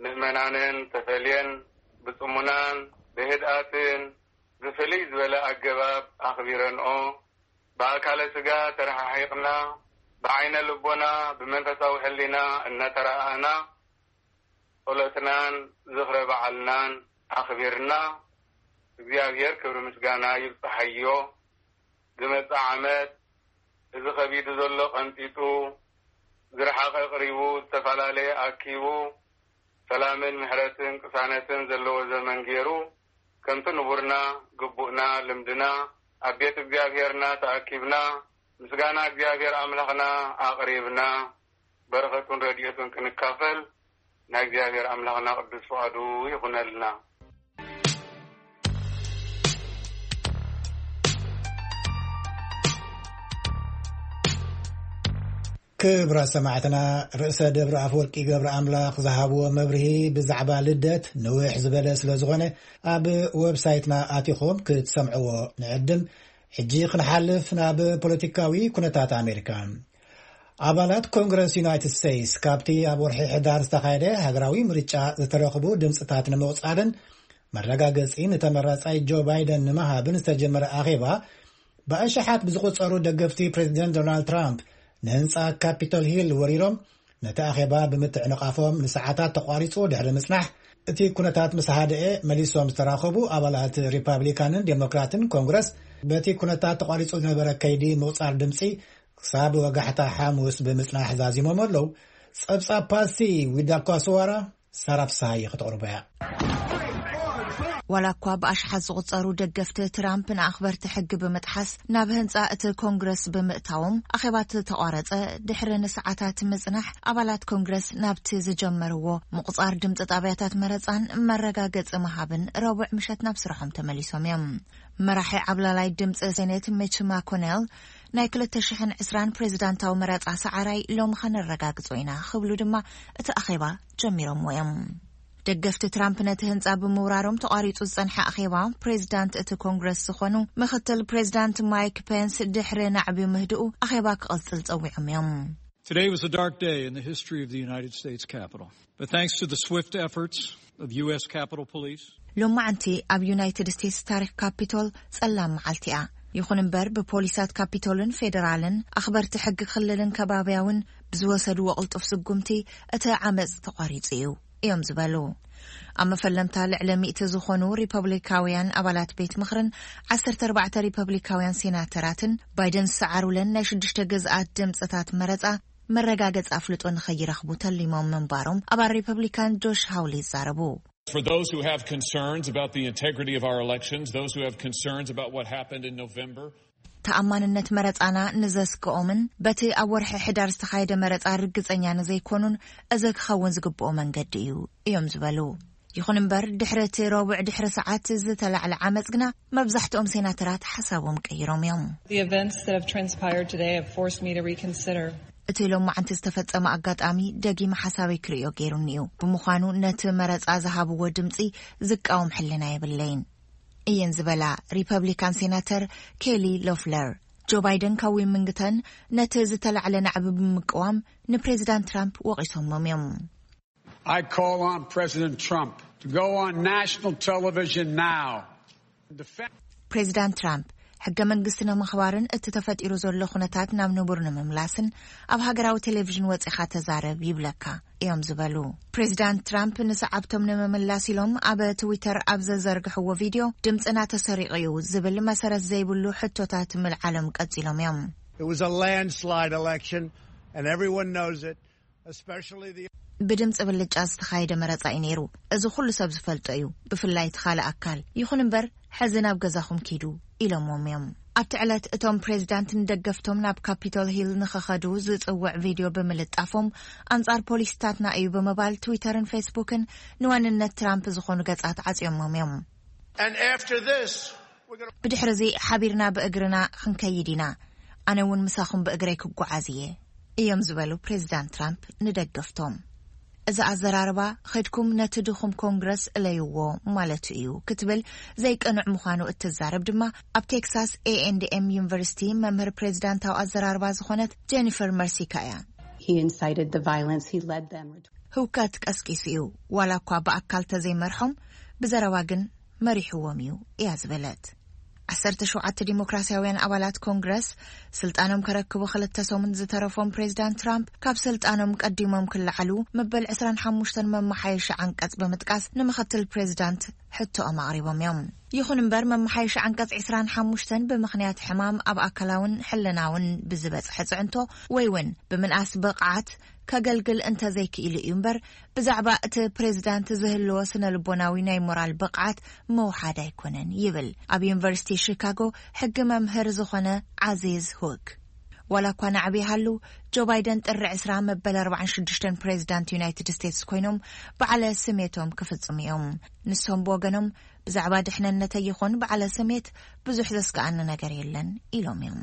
ምእመናንን ተፈልየን ብጽሙናን ብህድኣትን ብፍልይ ዝበለ ኣገባብ ኣኽቢረንኦ። ብኣካለ ስጋ ተረሓሒቕና፣ ብዓይነ ልቦና ብመንፈሳዊ ሕሊና እናተረኣኣና ጸሎትናን ዝኽረ በዓልናን ኣኽቢርና። እግዚኣብሔር ክብሪ ምስጋና ይብጽሓዮ። ዝመጽእ ዓመት እዚ ከቢዱ ዘሎ ቀንጢጡ፣ ዝረሓቐ ቅሪቡ፣ ዝተፈላለየ ኣኪቡ፣ ሰላምን ምሕረትን ቅሳነትን ዘለዎ ዘመን ገይሩ፣ ከምቲ ንቡርና፣ ግቡእና፣ ልምድና፣ ኣብ ቤት እግዚኣብሔርና ተኣኪብና፣ ምስጋና እግዚኣብሔር ኣምላኽና ኣቕሪብና፣ በረኸቱን ረድኤቱን ክንካፈል ናይ እግዚኣብሔር ኣምላኽና ቅዱስ ፍቓዱ ይኹነልና። ክቡራት ሰማዕትና፣ ርእሰ ደብረ ኣፈወርቂ ገብረ ኣምላኽ ዝሃብዎ መብርሂ ብዛዕባ ልደት ንውሕ ዝበለ ስለ ዝኾነ፣ ኣብ ዌብሳይትና ኣቲኹም ክትሰምዕዎ ንዕድም። ሕጂ ክንሓልፍ ናብ ፖለቲካዊ ኩነታት ኣሜሪካ። ኣባላት ኮንግረስ ዩናይትድ ስቴትስ ካብቲ ኣብ ወርሒ ሕዳር ዝተኻየደ ሃገራዊ ምርጫ ዝተረኽቡ ድምፅታት ንምቑፃርን መረጋገፂ ንተመራፃይ ጆ ባይደን ንምሃብን ዝተጀመረ ኣኼባ፣ ብኣሽሓት ብዝቑጸሩ ደገፍቲ ፕሬዚደንት ዶናልድ ትራምፕ ንህንጻ ካፒቶል ሂል ወሪሮም ነቲ ኣኼባ ብምትዕንቓፎም ንሰዓታት ተቋሪጹ ድሕሪ ምጽናሕ፣ እቲ ኩነታት ምስ ሃደኤ፣ መሊሶም ዝተራኸቡ ኣባላት ሪፓብሊካንን ዴሞክራትን ኮንግረስ፣ በቲ ኩነታት ተቋሪጹ ዝነበረ ከይዲ ምቑጻር ድምጺ ክሳብ ወጋሕታ ሓሙስ ብምጽናሕ ዛዚሞም ኣለዉ። ጸብጻብ ፓስቲ ዊዳኳስዋራ ሳራ ፍስሃየ ከተቕርቦ እያ። ዋላ እኳ ብኣሽሓት ዝቑጸሩ ደገፍቲ ትራምፕ ንኣኽበርቲ ሕጊ ብምጥሓስ ናብ ህንጻ እቲ ኮንግረስ ብምእታዎም ኣኼባ ተቋረጸ፣ ድሕሪ ንሰዓታት ምጽናሕ ኣባላት ኮንግረስ ናብቲ ዝጀመርዎ ምቑጻር ድምጺ ጣብያታት መረጻን መረጋገጺ ምሃብን ረቡዕ ምሸት ናብ ስርሖም ተመሊሶም እዮም። መራሒ ዓብላላይ ድምጺ ሴኔት ሚች ማኮኔል ናይ ክልተ ሽሕን ዕስራን ፕሬዚዳንታዊ መረጻ ሰዓራይ ሎሚ ኸነረጋግጾ ኢና ክብሉ ድማ እቲ ኣኼባ ጀሚሮምዎ እዮም። ደገፍቲ ትራምፕ ነቲ ህንጻ ብምውራሮም ተቋሪጹ ዝጸንሐ ኣኼባ ፕሬዚዳንት እቲ ኮንግረስ ዝኾኑ ምክትል ፕሬዚዳንት ማይክ ፔንስ ድሕሪ ናዕቢ ምህድኡ ኣኼባ ክቕጽል ጸዊዖም እዮም። Today was a dark day in the history of the United States Capitol. But thanks to the swift efforts of U S Capitol Police, ሎማዓንቲ ኣብ ዩናይትድ ስቴትስ ታሪክ ካፒቶል ጸላም መዓልቲ እያ። ይኹን እምበር ብፖሊሳት ካፒቶልን ፌደራልን ኣኽበርቲ ሕጊ ክልልን ከባብያውን ብዝወሰድዎ ቅልጡፍ ስጉምቲ እቲ ዓመፅ ተቋሪጹ እዩ እዮም ዝበሉ። ኣብ መፈለምታ ልዕሊ ሚእቲ ዝኾኑ ሪፐብሊካውያን ኣባላት ቤት ምኽርን ዓሰርተ ኣርባዕተ ሪፐብሊካውያን ሴናተራትን ባይደን ዝሰዓሩለን ናይ ሽዱሽተ ግዝኣት ድምፅታት መረፃ መረጋገፂ ኣፍልጦ ንኸይረኽቡ ተሊሞም ምንባሮም ኣባል ሪፐብሊካን ጆሽ ሃውሊ ይዛረቡ። For those who have concerns about the integrity of our elections, those who have concerns about what happened in November, ተኣማንነት መረፃና ንዘስግኦምን በቲ ኣብ ወርሒ ሕዳር ዝተኻየደ መረፃ ርግፀኛ ንዘይኮኑን እዚ ክኸውን ዝግብኦ መንገዲ እዩ እዮም ዝበሉ። ይኹን እምበር ድሕሪ እቲ ረቡዕ ድሕሪ ሰዓት ዝተላዕለ ዓመፅ ግና መብዛሕትኦም ሴናተራት ሓሳቦም ቀይሮም እዮም። The events that have transpired today have forced me to reconsider. እቲ ሎማዓንቲ ዝተፈጸመ ኣጋጣሚ ደጊመ ሓሳበይ ክርእዮ ገይሩኒ እዩ። ብምዃኑ ነቲ መረጻ ዝሃብዎ ድምጺ ዝቃወም ሕልና የብለይን እየን ዝበላ ሪፐብሊካን ሴናተር ኬሊ ሎፍለር፣ ጆ ባይደን ካብ ዊሚንግተን ነቲ ዝተላዕለ ናዕቢ ብምቅዋም ንፕሬዚዳንት ትራምፕ ወቒሶሞም እዮም። I call on President Trump to go on national television now and defend ፕሬዚዳንት ትራምፕ ሕገ መንግስቲ ንምኽባርን እቲ ተፈጢሩ ዘሎ ኩነታት ናብ ንቡር ንምምላስን ኣብ ሃገራዊ ቴሌቪዥን ወፂኻ ተዛረብ ይብለካ እዮም ዝበሉ። ፕሬዚዳንት ትራምፕ ንሰዓብቶም ንምምላስ ኢሎም ኣብ ትዊተር ኣብ ዘዘርግሕዎ ቪድዮ ድምፅና ተሰሪቑ እዩ ዝብል መሰረት ዘይብሉ ሕቶታት ምልዓሎም ቀፂሎም እዮም። It was a landslide election, and everyone knows it, especially the ብድምፂ ብልጫ ዝተኻየደ መረፃ እዩ ነይሩ። እዚ ኩሉ ሰብ ዝፈልጦ እዩ፣ ብፍላይ እቲ ካልእ ኣካል። ይኹን እምበር ሕዚ ናብ ገዛኹም ኪዱ ኢሎምዎም እዮም። ኣብቲ ዕለት እቶም ፕሬዚዳንት ንደገፍቶም ናብ ካፒቶል ሂል ንኸኸዱ ዝፅውዕ ቪድዮ ብምልጣፎም ኣንጻር ፖሊሲታትና እዩ ብምባል ትዊተርን ፌስቡክን ንዋንነት ትራምፕ ዝኾኑ ገጻት ዓጽዮሞም እዮም። And after this, we're going to ብድሕርዚ ሓቢርና ብእግርና ክንከይድ ኢና፣ ኣነ እውን ምሳኹም ብእግረይ ክጓዓዝ እየ እዮም ዝበሉ ፕሬዚዳንት ትራምፕ ንደገፍቶም። እዚ ኣዘራርባ ኸድኩም ነቲ ድኹም ኮንግረስ እለይዎ ማለቱ እዩ ክትብል ዘይቀንዕ ምዃኑ እትዛረብ ድማ ኣብ ቴክሳስ ኤ ኤንድ ኤም ዩኒቨርሲቲ መምህር ፕሬዚዳንታዊ ኣዘራርባ ዝኾነት ጀኒፈር መርሲካ እያ። He incited the violence. He led them. ህውከት ቀስቂሱ እዩ፣ ዋላ እኳ ብኣካል ተዘይመርሖም ብዘረባ ግን መሪሕዎም እዩ እያ ዝበለት። ዓሰርተ ሸውዓተ ዲሞክራሲያውያን ኣባላት ኮንግረስ ስልጣኖም ከረክቡ ክልተ ሰሙን ዝተረፎም ፕሬዚዳንት ትራምፕ ካብ ስልጣኖም ቀዲሞም ክለዓሉ መበል ዕስራን ሓሙሽተን መመሓየሺ ዓንቀጽ ብምጥቃስ ንምኽትል ፕሬዚዳንት ሕቶኦም ኣቕሪቦም እዮም። ይኹን እምበር መመሓየሺ ዓንቀጽ ዕስራን ሓሙሽተን ብምኽንያት ሕማም ኣብ ኣካላውን ሕልናውን ብዝበጽሐ ጽዕንቶ ወይ እውን ብምንኣስ ብቕዓት ከገልግል እንተዘይክኢሉ እዩ እምበር ብዛዕባ እቲ ፕሬዚዳንት ዝህልዎ ስነ ልቦናዊ ናይ ሞራል ብቕዓት መውሓድ ኣይኮነን ይብል ኣብ ዩኒቨርሲቲ ሺካጎ ሕጊ መምህር ዝኾነ ዓዚዝ ሁክ። ዋላ እኳ ናዕቢ ይሃሉ ጆ ባይደን ጥሪ ዕስራ መበል ኣርባዓን ሽዱሽተን ፕሬዚዳንት ዩናይትድ ስቴትስ ኮይኖም በዓለ ስሜቶም ክፍጽሙ እዮም። ንሶም ብወገኖም ብዛዕባ ድሕንነተይ ይኹን በዓለ ስሜት ብዙሕ ዘስግኣኒ ነገር የለን ኢሎም እዮም።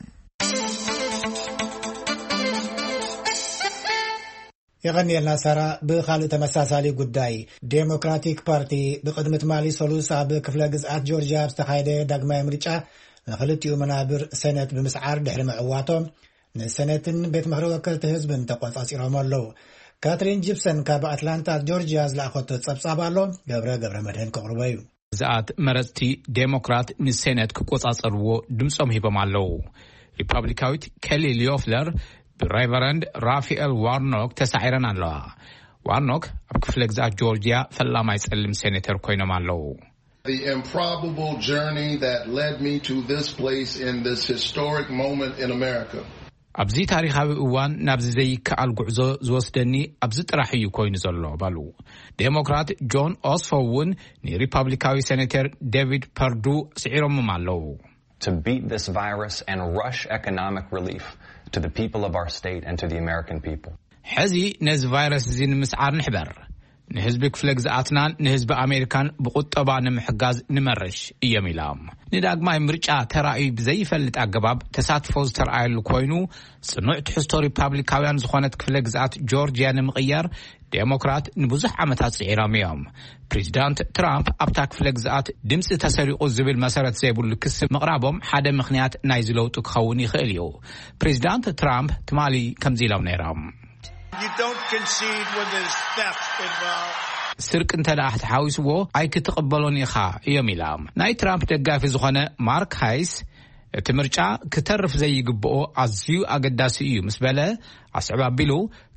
የቐንየልና ሳራ። ብኻልእ ተመሳሳሊ ጉዳይ ዴሞክራቲክ ፓርቲ ብቕድሚ ትማሊ ሰሉስ ኣብ ክፍለ ግዝኣት ጆርጅያ ኣብ ዝተኻየደ ዳግማይ ምርጫ ንኽልቲኡ መናብር ሰነት ብምስዓር ድሕሪ ምዕዋቶም ንሰነትን ቤት ምኽሪ ወከልቲ ህዝብን ተቆጻጺሮም ኣለዉ። ካትሪን ጂፕሰን ካብ ኣትላንታ ጆርጅያ ዝለኣኸቶ ጸብጻብ ኣሎ፣ ገብረ ገብረ መድህን ከቕርቦ እዩ። ግዝኣት መረጽቲ ዴሞክራት ንሴነት ክቆጻጸርዎ ድምጾም ሂቦም ኣለዉ። ሪፓብሊካዊት ኬሊ ሊዮፍለር ብሬቨረንድ ራፋኤል ዋርኖክ ተሳዒረን ኣለዋ። ዋርኖክ ኣብ ክፍለ ግዝኣት ጆርጂያ ፈላማይ ጸሊም ሴኔተር ኮይኖም ኣለዉ። The improbable journey that led me to this place in this historic moment in America. ኣብዚ ታሪኻዊ እዋን ናብዚ ዘይከኣል ጉዕዞ ዝወስደኒ ኣብዚ ጥራሕ እዩ ኮይኑ ዘሎ በሉ። ዴሞክራት ጆን ኦስፎ እውን ንሪፐብሊካዊ ሴኔተር ዴቪድ ፐርዱ ስዒሮምም ኣለዉ። To beat this virus and rush economic relief to the people of our state and to the American people. ሕዚ ነዚ ቫይረስ እዚ ንምስዓር ንሕበር፣ ንህዝቢ ክፍለ ግዝኣትናን ንህዝቢ ኣሜሪካን ብቁጠባ ንምሕጋዝ ንመርሽ እዮም ኢሎም። ንዳግማይ ምርጫ ተራእዩ ብዘይፈልጥ ኣገባብ ተሳትፎ ዝተረኣየሉ ኮይኑ፣ ጽኑዕ ትሕዝቶ ሪፓብሊካውያን ዝኾነት ክፍለ ግዝኣት ጆርጂያ ንምቕያር ዴሞክራት ንብዙሕ ዓመታት ጽዒሮም እዮም። ፕሬዚዳንት ትራምፕ ኣብታ ክፍለ ግዝኣት ድምፂ ተሰሪቑ ዝብል መሰረት ዘይብሉ ክሲ ምቕራቦም ሓደ ምኽንያት ናይዚ ለውጢ ክኸውን ይኽእል እዩ። ፕሬዚዳንት ትራምፕ ትማሊ ከምዚ ኢሎም ነይሮም። You don't concede when there's theft involved. ስርቂ እንተ ደኣ ተሓዊስዎ ኣይክትቕበሎን ኢኻ እዮም ኢሎም። ናይ ትራምፕ ደጋፊ ዝኾነ ማርክ ሃይስ እቲ ምርጫ ክተርፍ ዘይግብኦ ኣዝዩ ኣገዳሲ እዩ ምስ በለ ኣስዕብ ኣቢሉ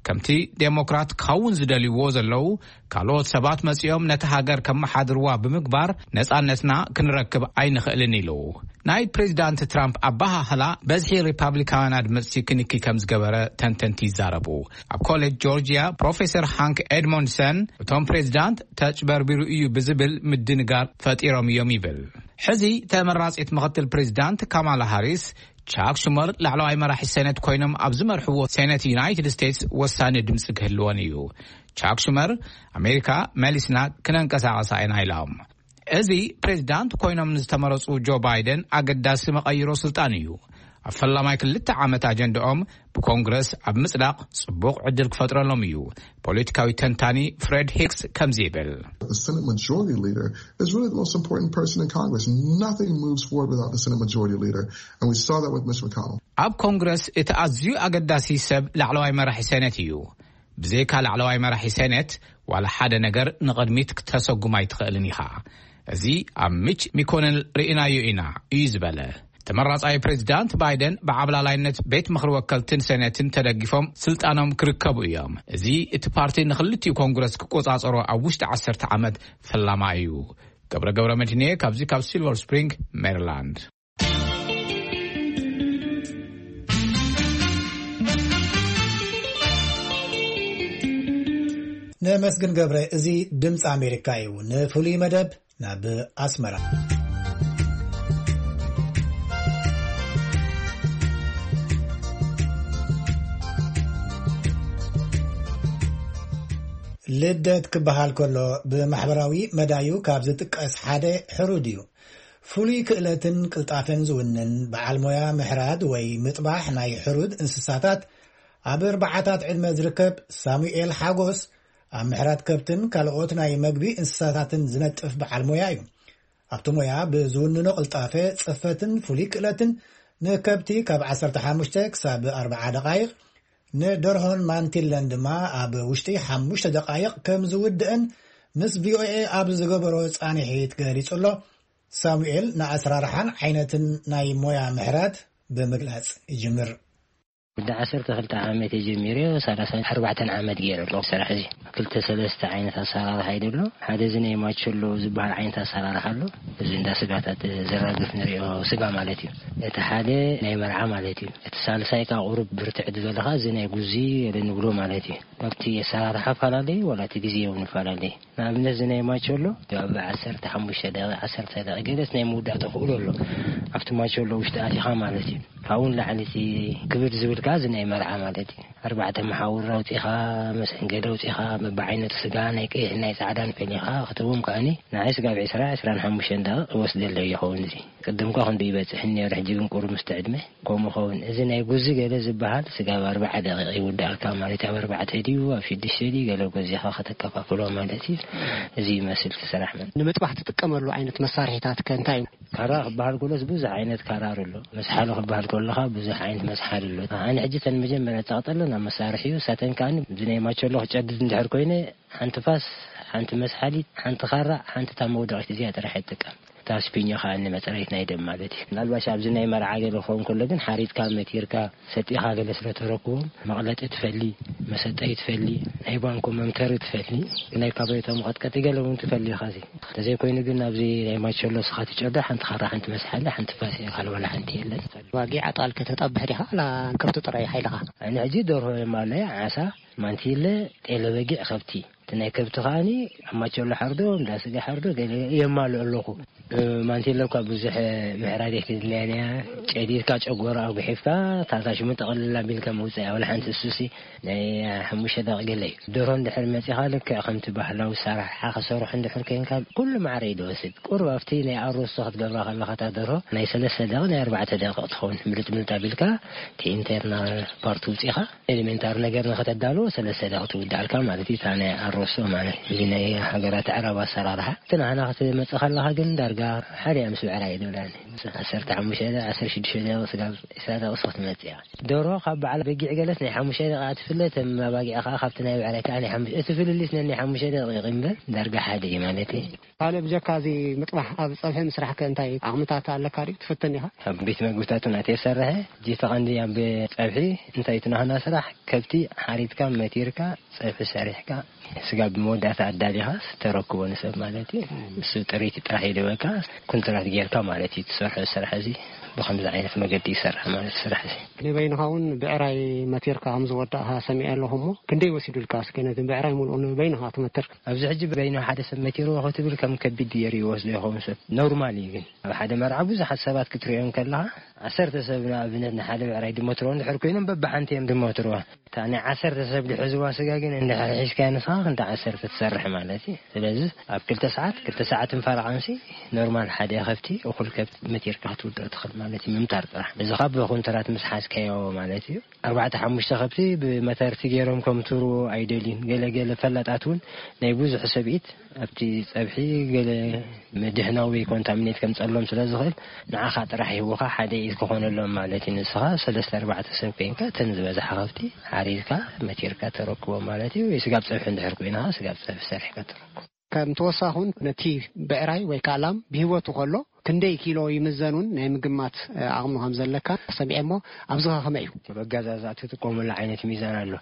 ከምቲ ዴሞክራት ክኸውን ዝደልይዎ ዘለዉ ካልኦት ሰባት መጺኦም ነቲ ሃገር ከመሓድርዋ ብምግባር ነጻነትና ክንረክብ ኣይንኽእልን ኢሉ። ናይ ፕሬዚዳንት ትራምፕ ኣበሃህላ በዝሒ ሪፓብሊካውያን ኣድመፅቲ ክንኪ ከም ዝገበረ ተንተንቲ ይዛረቡ። ኣብ ኮሌጅ ጆርጂያ ፕሮፌሰር ሃንክ ኤድሞንድሰን እቶም ፕሬዚዳንት ተጭበርቢሩ እዩ ብዝብል ምድንጋር ፈጢሮም እዮም ይብል። ሕዚ ተመራፂት ምኽትል ፕሬዚዳንት ካማላ ሃሪስ ቻክ ሹመር ላዕለዋይ መራሒ ሴኔት ኮይኖም ኣብ ዝመርሕዎ ሴኔት ዩናይትድ ስቴትስ ወሳኒ ድምፂ ክህልወን እዩ። ቻክ ሹመር ኣሜሪካ መሊስና ክነንቀሳቐሳ ኢና ኢሎም። እዚ ፕሬዚዳንት ኮይኖም ንዝተመረፁ ጆ ባይደን ኣገዳሲ መቐይሮ ስልጣን እዩ። ኣብ ፈላማይ ክልተ ዓመት ኣጀንዳኦም ብኮንግረስ ኣብ ምጽዳቕ ጽቡቕ ዕድል ክፈጥረሎም እዩ። ፖለቲካዊ ተንታኒ ፍሬድ ሂክስ ከምዚ ይብል። The Senate Majority Leader is really the most important person in Congress. Nothing moves forward without the Senate Majority Leader, and we saw that with Mitch McConnell. ኣብ ኮንግረስ እቲ ኣዝዩ ኣገዳሲ ሰብ ላዕለዋይ መራሒ ሴኔት እዩ። ብዘይካ ላዕለዋይ መራሒ ሴኔት ዋላ ሓደ ነገር ንቕድሚት ክተሰጉም ኣይትኽእልን ኢኻ። እዚ ኣብ ሚች ሚኮነል ርኢናዮ ኢና እዩ ዝበለ። ተመራጻይ ፕሬዚዳንት ባይደን ብዓብላላይነት ቤት ምኽሪ ወከልትን ሴኔትን ተደጊፎም ስልጣኖም ክርከቡ እዮም። እዚ እቲ ፓርቲ ንኽልቲኡ ኮንግረስ ክቆጻጸሮ ኣብ ውሽጢ ዓሰርተ ዓመት ፈላማ እዩ። ገብረ ገብረ መድህንየ ካብዚ ካብ ሲልቨር ስፕሪንግ ሜሪላንድ። ነመስግን ገብረ። እዚ ድምፂ ኣሜሪካ እዩ። ንፍሉይ መደብ ናብ ኣስመራ። ልደት ክበሃል ከሎ ብማሕበራዊ መዳዩ ካብ ዝጥቀስ ሓደ ሕሩድ እዩ። ፍሉይ ክእለትን ቅልጣፈን ዝውንን በዓል ሞያ ምሕራድ ወይ ምጥባሕ ናይ ሕሩድ እንስሳታት ኣብ ኣርባዓታት ዕድመ ዝርከብ ሳሙኤል ሓጎስ ኣብ ምሕራድ ከብትን ካልኦት ናይ መግቢ እንስሳታትን ዝነጥፍ በዓል ሞያ እዩ። ኣብቲ ሞያ ብዝውንኖ ቅልጣፈ፣ ጽፈትን ፍሉይ ክእለትን ንከብቲ ካብ ዓሰርተ ሓሙሽተ ክሳብ ኣርብዓ ደቓይቕ፣ ንደርሆን ማንቲለን ድማ ኣብ ውሽጢ ሓሙሽተ ደቓይቕ ከም ዝውድእን ምስ ቪኦኤ ኣብ ዝገበሮ ጻንሒት ገሊጹ ኣሎ። ሳሙኤል ንኣሰራርሓን ዓይነትን ናይ ሞያ ምሕራድ ብምግላጽ ይጅምር። ወዲ ዓሰርተ ክልተ ዓመት ጀሚረ፣ ሰላሳ ኣርባዕተ ዓመት ገይረ ኣለኹ ስራሕ እዚ። ክልተ ሰለስተ ዓይነት ኣሰራርሓ እዩ ዘሎ። ሓደ እዚ ናይ ማቸሎ ዝበሃል ዓይነት ኣሰራርሓ ኣሎ። እዚ እንዳ ስጋታት ዘራግፍ ንሪኦ ስጋ ማለት እዩ። እቲ ሓደ ናይ መርዓ ማለት እዩ። እቲ ሳልሳይ ከዓ ቁሩብ ብርትዕ ዝበለ ከዓ እዚ ናይ ጉዚ ገለ ንብሎ ማለት እዩ። ካብቲ ኣሰራርሓ ፈላለዩ ዋላ እቲ ግዜ እውን ይፈላለዩ። ንኣብነት እዚ ናይ ማቸሎ ኣብ ዓሰርተ ሓሙሽተ ደቂቕ፣ ዓሰርተ ደቂቕ ገለስ ናይ ምውዳእ ተኽእሎ ኣሎ። ኣብቲ ማቸሎ ውሽጢ ኣቲኻ ማለት እዩ። ካብኡ ንላዕሊ እቲ ክብድ ዝብል ከዓ እዚ ናይ መርዓ ማለት እዩ። ኣርባዕተ መሓውር ኣውፂኻ፣ መሰንገዲ ኣውፂኻ፣ በብዓይነቱ ስጋ ናይ ቀይሕ ናይ ፃዕዳን ፈሊኻ ክትዎም ከኣኒ ንዓይ ስጋብ ዕስራ፣ ዕስራን ሓሙሽተን ደቂቕ ይወስደለይ ይኸውን። እዚ ቅድም እኳ ክንዱ ይበፅሕ ነይሩ፣ ሕጂ ግን ቁሩብ ምስቲ ዕድመ ከምኡ ኸውን። እዚ ናይ ጉዚ ገለ ዝበሃል ስጋብ ኣርባዓ ደቂቕ ይውዳእልካ ማለት እዩ። ኣብ ኣርባዕተ ድዩ ኣብ ሽዱሽተ ድዩ ገለ ጎዚኻ ከተከፋፍሎ ማለት እዩ። እዚ ይመስል እቲ ስራሕ። መን ንምጥባሕ ትጥቀመሉ ዓይነት መሳርሒታት ከ እንታይ እዩ? ካራ ክበሃል ከሎስ ብዙሕ ዓይነት ካራ ኣሎ። መስሓሊ ክበሃል ከለኻ ብዙሕ ዓይነት መስሓሊ ኣሎ። ኣነ ሕጂ እተን መጀመርያ ዝጠቕጠለን ኣብ መሳርሒ እዩ። እሳተን ከኣ እዚ ናይ ማቸሎ ክጨድድ እንድሕር ኮይነ ሓንቲ ፋስ፣ ሓንቲ መስሓሊት፣ ሓንቲ ካራ፣ ሓንቲ እታ መውደቒት እዚኣ ጥራሕ ይጥቀም። እታ ኣስፒኞ ከኣ ንመጽረይት ናይ ደም ማለት እዩ። ምናልባሽ ኣብዚ ናይ መርዓ ገለ ክኸውን ከሎ ግን ሓሪጥካ መቲርካ ሰጢኻ ገለ ስለ ተረክቦም መቕለጢ ትፈሊ፣ መሰጠይ ትፈሊ፣ ናይ ባንኮ መምተሪ ትፈሊ፣ ናይ ካባይቶ መቐጥቀጢ ገለ እውን ትፈሊ ኢኻ። እዚ ተዘይኮይኑ ግን ኣብዚ ናይ ማቸሎ ስኻ ትጨዶ ሓንቲ ኻራ ሓንቲ መስሓለ ሓንቲ ፋስ ኢኻ፣ ዋላ ሓንቲ የለን። ባጊዕ ኣጣል ከተጣብሕ ዲኻ? ላ ከብቲ ጥራይ ሓይልኻ? ኣነ ሕጂ ደርሆ የማለያ፣ ዓሳ፣ ማንቲለ፣ ጤለ በጊዕ፣ ከብቲ። እቲ ናይ ከብቲ ከኣኒ ኣብ ማቸሎ ሓርዶ፣ እንዳ ስጋ ሓርዶ፣ ገለ የማልኦ ኣለኹ። እ፣ ማንቲለ እኳ ብዙሕ ምሕራድ ኣይክድልያን እያ። ጨዲድካ ጨጎራ ኣጉሒፍካ፣ ታታ ሽሙ ጠቕልል ኣቢልካ መውፅእ እያ። ወላ ሓንቲ እሱሲ ናይ ሓሙሽተ ደቂቕ ገለ እዩ። ደርሆ እንድሕር መፂኻ፣ ልክዕ ከምቲ ባህላዊ ሰራሓ ክሰርሑ እንድሕር ኮይንካ፣ ኩሉ ማዕረ እዩ ዝወስድ። ቁሩብ ኣብቲ ናይ ኣሮስቶ ክትገብራ ከለኻ፣ እታ ደርሆ ናይ ሰለስተ ደቂቕ፣ ናይ ኣርባዕተ ደቂቕ ትኸውን። ምልጥ ምልጥ ኣቢልካ፣ እቲ ኢንተርናል ፓርት ውፂኻ፣ ኤሌሜንታሪ ነገር ንኸተዳልዎ ሰለስተ ደቂቕ ትውድኣልካ ማለት እዩ። እታ ናይ ኣሮስቶ ማለት እዚ ናይ ሃገራት ኣዕራብ ኣሰራርሓ። እቲ ናህና ክትመጽእ ከለኻ ግን ዳርጋ ሓደ እያ ምስ ብዕራይ ይብላኒ። ዓሰርተ ሓሙሽተ ደቂቕ፣ ዓሰርተ ሽዱሽተ ደቂቕ ስጋብ ዕስራ ደቂቕ ክትመጽእ እያ። ደርሆ ካብ በዓል በጊዕ ገለስ ናይ ሓሙሽተ ደቂቕ ትፍለ፣ እተን ኣባጊዕ ከኣ ካብቲ ናይ ብዕራይ ከኣ ናይ ሓሙሽተ፣ እቲ ፍልልይ ስለ ናይ ሓሙሽተ ደቂቕ እምበር ዳርጋ ሓደ እዩ ማለት እዩ። ካልእ ብጀካ እዚ ምጥባሕ ኣብ ጸብሒ ምስራሕ ከ እንታይ ዓቕምታት ኣለካ ድዩ? ትፍትን ኢኻ? ኣብ ቤት መግብታት እውን ኣትየ ዝሰርሐ። ሕጂ እቲ ቀንዲ ኣብ ጸብሒ እንታይ እቲ ናህና ስራሕ ከብቲ ሓሪድካ መቲርካ ጸብሒ ሰሪሕካ ስጋ ብመወዳእታ ኣዳሊኻ ተረክቦ ንሰብ ማለት እዩ። እሱ ጥሪት ጥራሕ ይደበካ፣ ኩንትራት ጌርካ ማለት እዩ። ትሰርሖ ስራሕ እዚ ብኸምዚ ዓይነት መገዲ ይሰርሕ ማለት ስራሕ እዚ። ንበይንኻ እውን ብዕራይ መቲርካ ከም ዝወዳእኻ ሰሚዐ ኣለኹ እሞ ክንደይ ወሲዱልካ? እስከ ነቲ ብዕራይ ሙሉኡ ንበይንኻ ትመትር? ኣብዚ ሕጂ በይኑ ሓደ ሰብ መቲርዎ ክትብል ከም ከቢድ ገይሩ ይወስዶ ይኸውን ሰብ። ኖርማል እዩ ግን ኣብ ሓደ መርዓ ብዙሓት ሰባት ክትሪኦም ከለኻ ዓሰርተ ሰብ ንኣብነት ንሓደ ብዕራይ ድመትርዎ እንድሕር ኮይኖም በብሓንቲ እዮም ድመትርዋ። እታ ናይ ዓሰርተ ሰብ ድሕዝዋ ስጋ ግን እንድሕር ሒዝካያ ንስኻ ክንዲ ዓሰርተ ትሰርሕ ማለት እዩ። ስለዚ ኣብ ክልተ ሰዓት፣ ክልተ ሰዓትን ፈረቓንሲ ኖርማል ሓደ ከብቲ እኹል ከብቲ መቲርካ ክትውድኦ ትኽእል ማለት እዩ። ምምታር ጥራሕ። እዚ ካብ ኮንትራት ምስ ሓዝካዮ ማለት እዩ። ኣርባዕተ ሓሙሽተ ከብቲ ብመተርቲ ገይሮም ከምትርዎ ኣይደልዩን። ገለ ገለ ፈላጣት እውን ናይ ብዙሕ ሰብኢት ኣብቲ ጸብሒ ገለ ምድህናዊ ኮንታሚኔት ከምጸሎም ስለ ዝኽእል ንዓኻ ጥራሕ ሂቡኻ ሓደ ኢድ ክኾነሎም ማለት እዩ። ንስኻ ሰለስተ ኣርባዕተ ሰብ ኮይንካ እተን ዝበዝሓ ከብቲ ሓሪድካ መቲርካ ተረክቦ ማለት እዩ። ወይ ስጋብ ጸብሒ እንድሕር ኮይንኻ ስጋብ ጸብሒ ሰሪሕካ ተረክቦ። ከም ተወሳኹን ነቲ ብዕራይ ወይ ከዓ ላም ብህይወቱ ከሎ ክንደይ ኪሎ ይምዘኑን ናይ ምግማት፣ እ፣ ዓቕሚ ከም ዘለካ ሰሚዐ እሞ ኣብዚ ኸ ከመይ እዩ? ኣብ ኣገዛዝኣ ትጥቀሙሉ ዓይነት ሚዛን ኣሎ።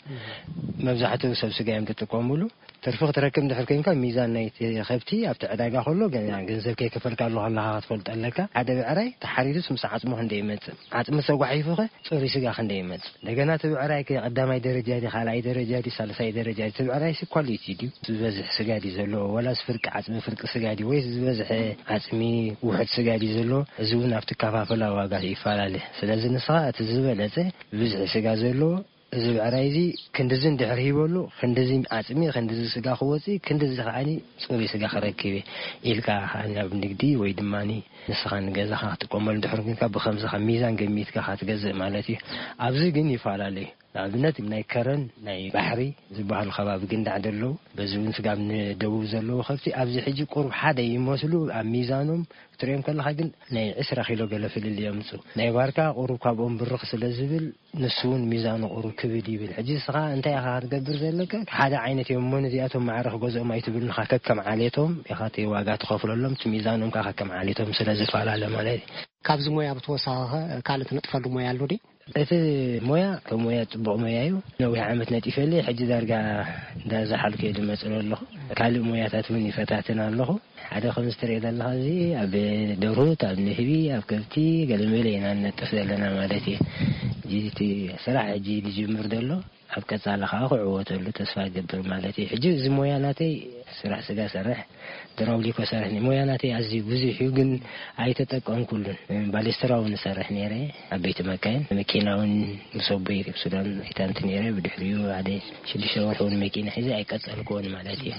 መብዛሕትኡ ሰብ ስጋ እዮም ትጥቀሙሉ። ትርፊ ክትረክብ እንድሕር ኮይንካ ሚዛን ናይቲ ከብቲ ኣብቲ ዕዳጋ ከሎ ገና ገንዘብ ከይከፈልካ ኣለኻ ኣለኻ ክትፈልጦ ኣለካ። ሓደ ብዕራይ ተሓሪዱስ ምስ ዓፅሙ ክንደይ ይመፅእ? ዓፅሚ ተጓሒፉኸ ፅሩይ ስጋ ክንደይ ይመፅእ? እንደገና እቲ ብዕራይ ከ ቀዳማይ ደረጃ ድዩ፣ ካልኣይ ደረጃ ድዩ፣ ሳልሳይ ደረጃ ድዩ? እቲ ብዕራይ ሲ ኳሊቲ ድዩ? ዝበዝሕ ስጋ ድዩ ዘለዎ? ወላስ ፍርቂ ዓፅሚ ፍርቂ ስጋ ድዩ? ወይስ ዝበዝሐ ዓፅሚ ውሑድ ስጋ ድዩ ዘለዎ? እዚ እውን ኣብቲ ኣከፋፍላ ዋጋ ይፈላለ። ስለዚ ንስኻ እቲ ዝበለፀ ብብዝሒ ስጋ ዘለዎ እዚ ብዕራይ እዚ ክንድዚ እንድሕር ሂበሉ፣ ክንድዚ ዓፅሚ፣ ክንድዚ ስጋ ክወፅእ፣ ክንድዚ ከዓኒ ፅሩይ ስጋ ክረክብ እየ ኢልካ ከዓኒ ኣብ ንግዲ ወይ ድማ ንስኻ ንገዛኻ ክትጥቀመሉ እንድሕር ኮይንካ ብኸምዚ ካብ ሚዛን ገሚትካ ኢኻ ትገዝእ ማለት እዩ። ኣብዚ ግን ይፈላለ እዩ። ንኣብነት ናይ ከረን ናይ ባሕሪ ዝበሃሉ ከባቢ ግን ዳዕደ ኣለዉ። በዚ እውን ስጋብ ንደቡብ ዘለዉ ከብቲ ኣብዚ ሕጂ ቁሩብ ሓደ ይመስሉ ኣብ ሚዛኖም ክትሪኦም ከለኻ ግን ናይ ዕስራ ኪሎ ገለ ፍልልይ የምፅኡ። ናይ ባርካ ቁሩብ ካብኦም ብርኽ ስለ ዝብል ንሱ እውን ሚዛኑ ቁሩብ ክብድ ይብል። ሕጂ ንስኻ እንታይ ኢኻ ክትገብር ዘለካ? ሓደ ዓይነት እዮም እሞ ነዚኣቶም ማዕረ ክገዝኦም ኣይትብል፣ ንኻ ከከም ዓሌቶም ኢኻ እቲ ዋጋ ትኸፍለሎም፣ እቲ ሚዛኖም ከኣ ከከም ዓሌቶም ስለ ዝፈላለ ማለት እዩ። ካብዚ ሞያ ብተወሳኺ ኸ ካልእ ትነጥፈሉ ሞያ ኣሎ ድዩ? እቲ ሞያ ከም ሞያ ጽቡቕ ሞያ እዩ። ነዊሕ ዓመት ነጢፈለይ፣ ሕጂ ዳርጋ እንዳዛሓልኩ እየ ዝመጽእ ኣለኹ። ካልእ ሞያታት እውን ይፈታትን ኣለኹ። ሓደ ከምዚ ትሪኦ ዘለኻ እዚ ኣብ ደርሁት፣ ኣብ ንህቢ፣ ኣብ ከብቲ ገለመለ ኢና ንነጥፍ ዘለና ማለት እዩ። ሕጂ እቲ ስራሕ ሕጂ ዝጅምር ዘሎ ኣብ ቀጻሊ ከኣ ክዕወተሉ ተስፋ እገብር ማለት እዩ። ሕጂ እዚ ሞያ ናተይ ስራሕ ስጋ ሰርሕ፣ ድራውሊኮ ሰርሕ፣ ሞያ ናተይ ኣዝዩ ብዙሕ እዩ፣ ግን ኣይተጠቀምኩሉን። ባሌስትራ እውን እሰርሕ ነይረ፣ ዓበይቲ መካይን፣ መኪና እውን ምስ ኣቦይ ሱዳን ኣይታንቲ ነይረ፣ ብድሕሪኡ ሓደ ሽዱሽተ ወርሒ እውን መኪና ሒዘ ኣይቀጸልኩዎን ማለት እዩ።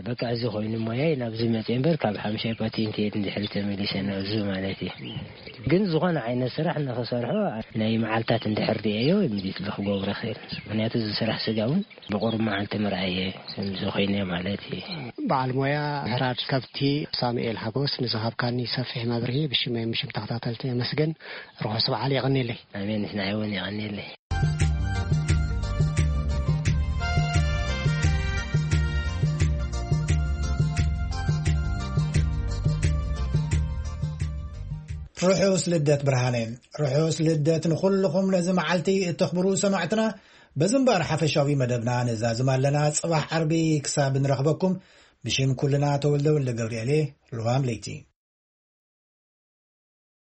በቃ እዚ ኮይኑ ሞያይ ናብዚ መጽየ እምበር ካብ ሓምሻይ ፓቴንት እየ እንድሕር ተመሊሰ ናብዚ ማለት እዩ። ግን ዝኾነ ዓይነት ስራሕ ንኽሰርሖ ናይ መዓልታት እንድሕር ርእየዮ ምዲት ክገብሮ ይኽእል። ምኽንያቱ እዚ ስራሕ ስጋ እውን ብቁሩብ መዓልቲ ምርኣየ ከምዚ ኮይነ ማለት እዩ። በዓል ሞያ ምሕራድ ከብቲ ሳሙኤል ሓጎስ ንዝሃብካኒ ሰፊሕ መብርሂ ብሽመይ ብሽም ተኸታተልቲ የመስግን። ርሑስ በዓል የቐንየለይ። ኣሜን፣ ንሕና እውን የቐንየለይ። ርሑስ ልደት ብርሃነ። ርሑስ ልደት ንኹልኹም ነዚ መዓልቲ እተኽብሩ ሰማዕትና። በዚ እምበኣር ሓፈሻዊ መደብና ነዛዝም ኣለና። ጽባሕ ዓርቢ ክሳብ ንረኽበኩም፣ ብሽም ኩልና ተወልደ ወልደ ገብርኤል እየ። ልዋም ለይቲ።